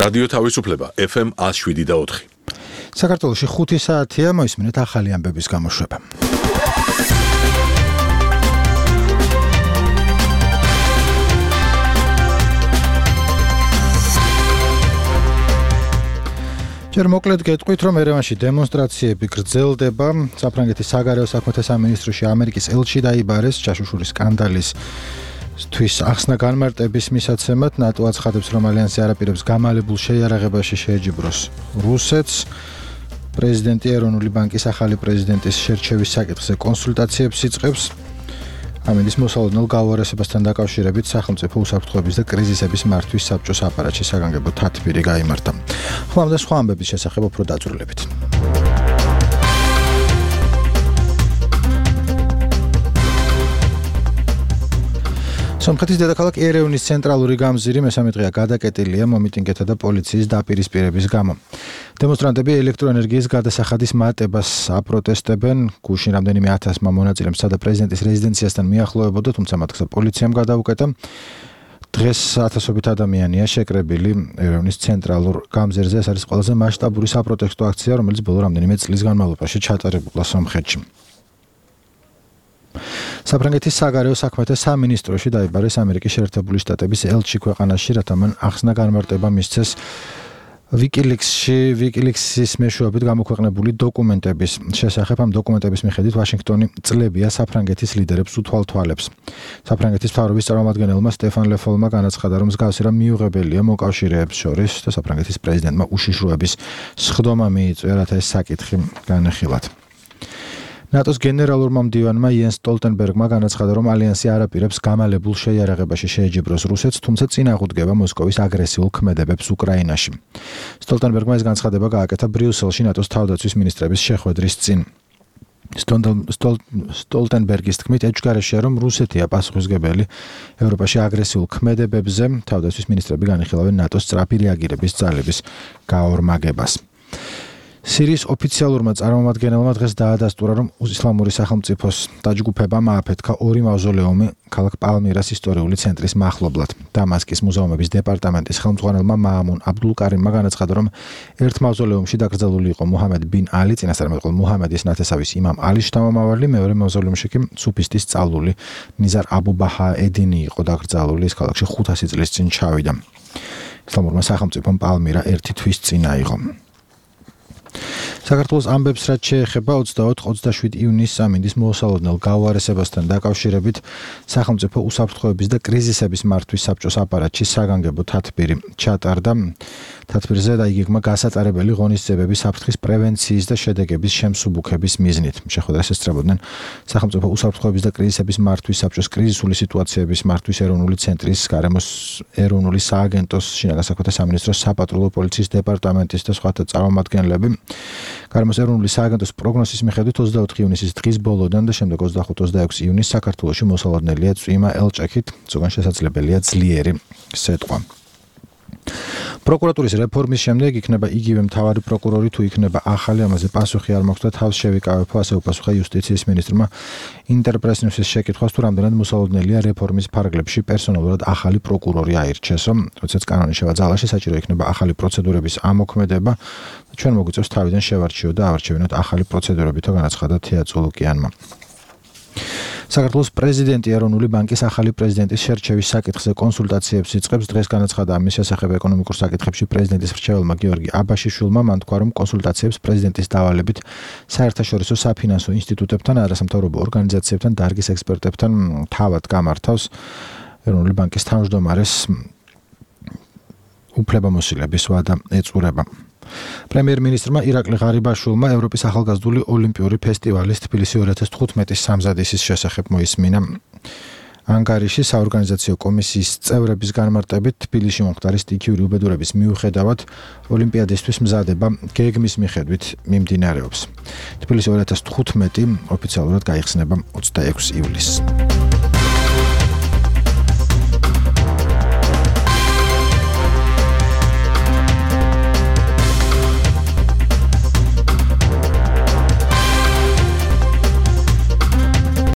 რადიო თავისუფლება FM 107.4. საქართველოში 5 საათია, მოისმინეთ ახალი ამბების გამოშვება. ჯერ მოკლედ გეტყვით, რომ ერევანში დემონსტრაციები გრძელდება. საფრანგეთის საგარეო საქმეთა სამინისტროში ამერიკის ელჩი დაიბარეს ჩაშუშური სკანდალის თვის ახსნა განმარტების მისაცემად. ნატო აცხადებს, რომ ალიანსი არ აპირებს გამალებულ შეიარაღებაში შეეჯიბროს რუსეთს. პრეზიდენტი ეროვნული ბანკის ახალი პრეზიდენტის შერჩევის საკითხზე კონსულტაციებს იწყებს. ამინდის მოსალოდნელ გაუარესებასთან დაკავშირებით სახელმწიფო უსაფრთხოების და კრიზისების მართვის საბჭოს აპარატში საგანგებო თათბირი გაიმართა. ხლამდე სხვა ამბების შესახებ უფრო დაწვრილებით. სომხეთის დედაქალაქ ერევნის ცენტრალური გამზირი მესამე დღეა გადაკეტილია მომიტინგეთა და პოლიციის დაპირისპირების გამო. დემონსტრანტები ელექტროენერგიის გადასახადის მატებას აპროტესტებენ. გუშინ რამდენიმე ათასმა მონაწილემ სცადა პრეზიდენტის რეზიდენციასთან მიახლოებოდა, თუმცა მათ გზა პოლიციამ გადაუკეტა. დღეს ათასობით ადამიანია შეკრებილი ერევნის ცენტრალურ გამზირზე. ეს არის ყველაზე მასშტაბური საპროტესტო აქცია, რომელიც ბოლო რამდენიმე წლის განმავლობაში ჩატარებულა სომხეთში. საფრანგეთის საგარეო საქმეთა სამინისტროში დაიბარეს ამერიკის შეერთებული შტატების ელჩი ქვეყანაში, რათა მან ახსნა განმარტება მისცეს ვიკილიქსის მეშვეობით გამოქვეყნებული დოკუმენტების შესახებ. ამ დოკუმენტების მიხედვით ვაშინგტონი წლებია საფრანგეთის ლიდერებს უთვალთვალებს. საფრანგეთის მთავრობის წარმომადგენელმა სტეფან ლეფოლმა განაცხადა, რომ მსგავსი რამ მიუღებელია მოკავშირეებს შორის და საფრანგეთის პრეზიდენტმა უშიშროების სხდომა მიიწვია, რათა ეს საკითხი განეხილათ. ნატოს გენერალურმა მდივანმა იენს სტოლტენბერგმა განაცხადა, რომ ალიანსი არ აპირებს გამალებულ შეიარაღებაში შეეჯიბროს რუსეთს, თუმცა წინ აღუდგება მოსკოვის აგრესიულ ქმედებებს უკრაინაში. სტოლტენბერგმა ეს განცხადება გააკეთა ბრიუსელში ნატოს თავდაცვის მინისტრების შეხვედრის წინ. სტოლტენბერგის თქმით, ეჭვგარეშეა, რომ რუსეთია პასუხისმგებელი ევროპაში აგრესიულ ქმედებებზე. თავდაცვის მინისტრები განიხილავენ ნატოს სწრაფი რეაგირების ძალების გაორმაგებას. სირიის ოფიციალურმა წარმომადგენელმა დღეს დაადასტურა, რომ ისლამური სახელმწიფოს დაჯგუფებამ ააფეთქა 2 მავზოლეუმი ქალაქ პალმირას ისტორიული ცენტრის მახლობლად. დამასკის მუზეუმების დეპარტამენტის ხელმძღვანელმა მაამუნ აბდულკარიმმა განაცხადა, რომ ერთ მავზოლეუმში დაკრძალული იყო მუჰამედ ბინ ალი, წინასწარმეტყველ მუჰამედის ნათესავის იმამ ალის შთამომავალი, მეორე მავზოლეუმში კი სუფისტის სწავლული ნიზარ აბუ ბაჰა ედინი იყო დაკრძალული. ის ქალაქში 500 წლის წინ ჩავიდა. ისლამურმა სახელმწიფომ პალმირა 1 თვის წინ აიღო. საქართველოს ამბებს რაც შეეხება 24-27 იუნის ამინდის მოსალოდნელ გაუარესებასთან დაკავშირებით სახელმწიფო უსაფრთხოების და კრიზისების მართვის საბჭოს აპარატში საგანგებო თათბირი ჩატარდა. თათბირზე დაიგეგმა გასაწარებელი ღონისძიებები საფრთხის პრევენციის და შედეგების შემსუბუქების მიზნით. შეხვედრას ესწრებოდნენ სახელმწიფო უსაფრთხოების და კრიზისების მართვის საბჭოს კრიზისული სიტუაციების მართვის ეროვნული ცენტრის, გარემოს ეროვნული სააგენტოს, შინაგან საქმეთა სამინისტროს, საპატრულო პოლიციის დეპარტამენტის და სხვათა წარმომადგენლები. გარემოს ეროვნული სააგენტოს პროგნოზის მიხედვით 24 ივნისის დღის ბოლოდან და შემდეგ 25-26 ივნისს საქართველოში მოსალოდნელია წვიმა ელჭექით, ზოგან შესაძლებელია ძლიერი სეტყვა. პროკურატურის რეფორმის შემდეგ იქნება იგივე მთავარი პროკურორი თუ იქნება ახალი, ამაზე პასუხი არ მაქვს და თავს შევიკავებო, ასე უპასუხა იუსტიციის მინისტრმა ინტერპრეს-ნიუსის შეკითხვას, თუ რამდენად მოსალოდნელია რეფორმის ფარგლებში პერსონალურად ახალი პროკურორი აირჩეს, რომ როდესაც კანონი შევაძალაში საჭირო იქნება ახალი პროცედურების ამოქმედება. ჩვენ მოგვიწევს თავიდან შევარჩიოთ და ავარჩევინოთ ახალი პროცედურებითო, განაცხადა თეატრულუკიანმა. საქართველოს პრეზიდენტი ეროვნული ბანკის ახალი პრეზიდენტის შერჩევის საკითხზე კონსულტაციებს იწყებს. დღეს განაცხადა ამის შესახებ ეკონომიკურ საკითხებში პრეზიდენტის მრჩეველმა გიორგი აბაშიშვილმა. მან თქვა, რომ კონსულტაციებს პრეზიდენტის დავალებით საერთაშორისო საფინანსო ინსტიტუტებთან, არასამთავრობო ორგანიზაციებთან, დარგის ექსპერტებთან თავად გამართავს ეროვნული ბანკის თავმჯდომარეს უფლებამოსილების ვადა ეწურება. პრემიერ-მინისტრმა ირაკლი ღარიბაშვილმა ევროპის ახალგაზრდული ოლიმპიური ფესტივალის თბილისი 2015-ის სამზადისის შესახებ მოისმინა. ანგარიში საორგანიზაციო კომისიის წევრების განმარტებით თბილისში მომხდარი სტიქიური უბედურების მიუხედავად ოლიმპიადისთვის მზადება გეგმის მიხედვით მიმდინარეობს. თბილისი 2015 ოფიციალურად გაიხსნება 26 ივლისს.